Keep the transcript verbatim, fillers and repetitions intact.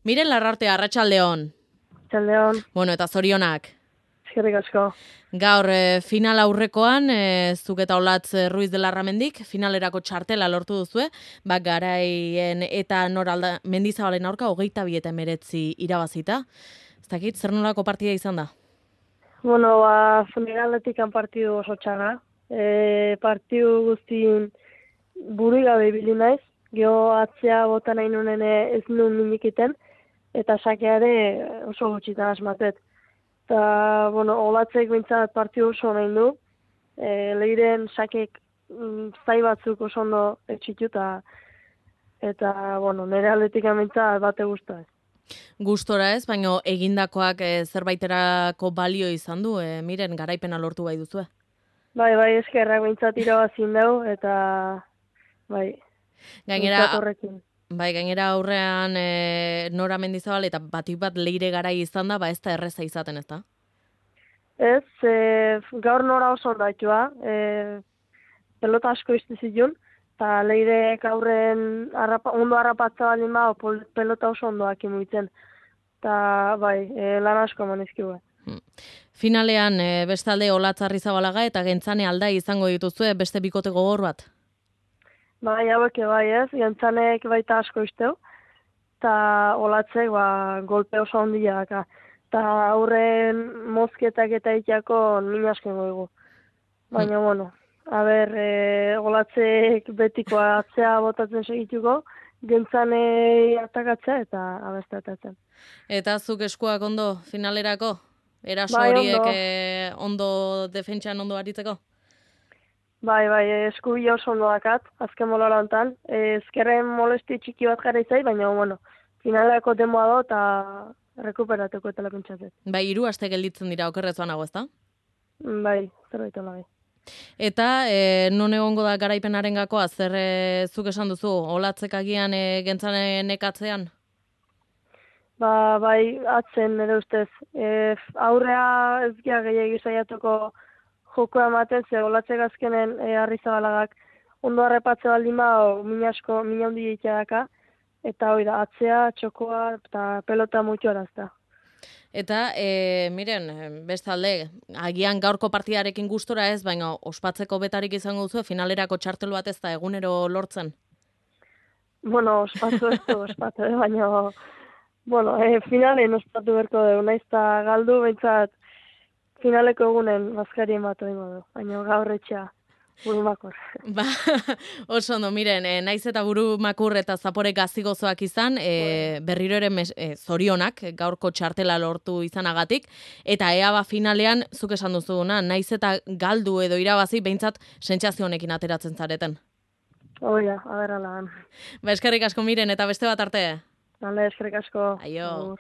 Miren Larrarte, arratsaldeon. Arratsaldeon. Bueno, eta zorionak. Eskerrik asko. Gaur e, final aurrekoan, e, zuk eta Olatz Ruiz de Larramendik, finalerako txartela lortu duzue, ba, Garaien eta Noralda Mendizabalen aurka hogeita bi eta hemeretzi irabazita. Ez dakit, zer nolako partida izan da? Bueno, ba, finaletik partidu oso txarra. E, partidu guztien buru gabe ibili naiz, geho atzea bota nahi nunen ez nuen minikiten, eta sakea ere oso gutxitan asmatet. Eta, bueno, Olatzek bintzat partidu oso nahi du, e, lehiren sakek mm, zai batzuk oso ondo etxitu, eta, eta bueno, nire aldetik bintzat bate guztua ez. Gustora ez, baina egindakoak e, zerbaiterako balio izan du, e, miren garaipena lortu bai duzue. Bai, bai, eskerrak bintzat irabazin dugu, eta bai, Gainera, horrekin. bai, gainera aurrean e, Nora Mendizabal eta batik bat leire garai izan da, ba ez da erreza izaten, ez da? Ez, e, gaur Nora oso ondaitua, e, pelota asko izte zituen, eta leirek aurren arrapa, ondo harrapatza balin ba, pelota oso ondoak imuitzen. Eta bai, e, lan asko manizkiu. Hmm. Finalean, e, bestalde Olatz Arrizabalaga eta Gentzane Aldai izango dituzue beste bikote gogor bat? Bai, hauek bai ez, Gentzanek baita asko izteu, eta Olatzek ba, golpe oso ondia daka. Eta aurren mozketak eta itiako min asken goigu. Baina, hmm. bueno, a ber, e, Olatzek betikoa atzea botatzen segituko, Gentzanei atakatzea eta abestatatzen. Eta zuk eskuak ondo finalerako? Eraso bai, horiek ondo. E, ondo defentsan ondo aritzeko? Bai, bai, eskubila oso ondo dakat, azken molara hontan. Ezkerren molesti txiki bat gara izai, baina, bueno, finalerako demoa do eta rekuperateko eta lakuntzatzen. Bai, hiru aste gelditzen dira okerrezoan nago, ezta? Bai, zerbait hola bai. Eta e, non egongo da garaipenaren gakoa, zer e, zuk esan duzu, Olatzek agian e, Gentzanen ekatzean? Ba, bai, atzen, nire ustez. E, aurrea ez gira gehiagi saiatuko joko ematen, ze Olatzek azkenen e, Arrizabalagak ondo harrepatze baldin ba, min asko, min handi daka, eta hori da, atzea, txokoa, eta pelota mutu arazta. Eta, e, miren, bestalde, agian gaurko partidarekin gustora ez, baina ospatzeko betarik izango duzu, finalerako txartelu bat ez da egunero lortzen? Bueno, ospatu ez du, ospatu, eh? Baina, bueno, e, finalen ospatu berko dugu, naiz eta galdu, behintzat, finaleko egunen bazkarien bat oingo du, baina gaur etxea, buru makur. Ba, oso ondo, miren, e, naiz eta buru makur eta zapore gazigozoak izan, e, berriro ere mes, e, zorionak gaurko txartela lortu izanagatik, eta ea ba finalean, zuk esan duzuna, naiz eta galdu edo irabazi, behintzat sentsazio honekin ateratzen zareten. Oia, aberrala. Ba, eskerrik asko miren, eta beste bat arte. Bale, eskerrik asko. Aio.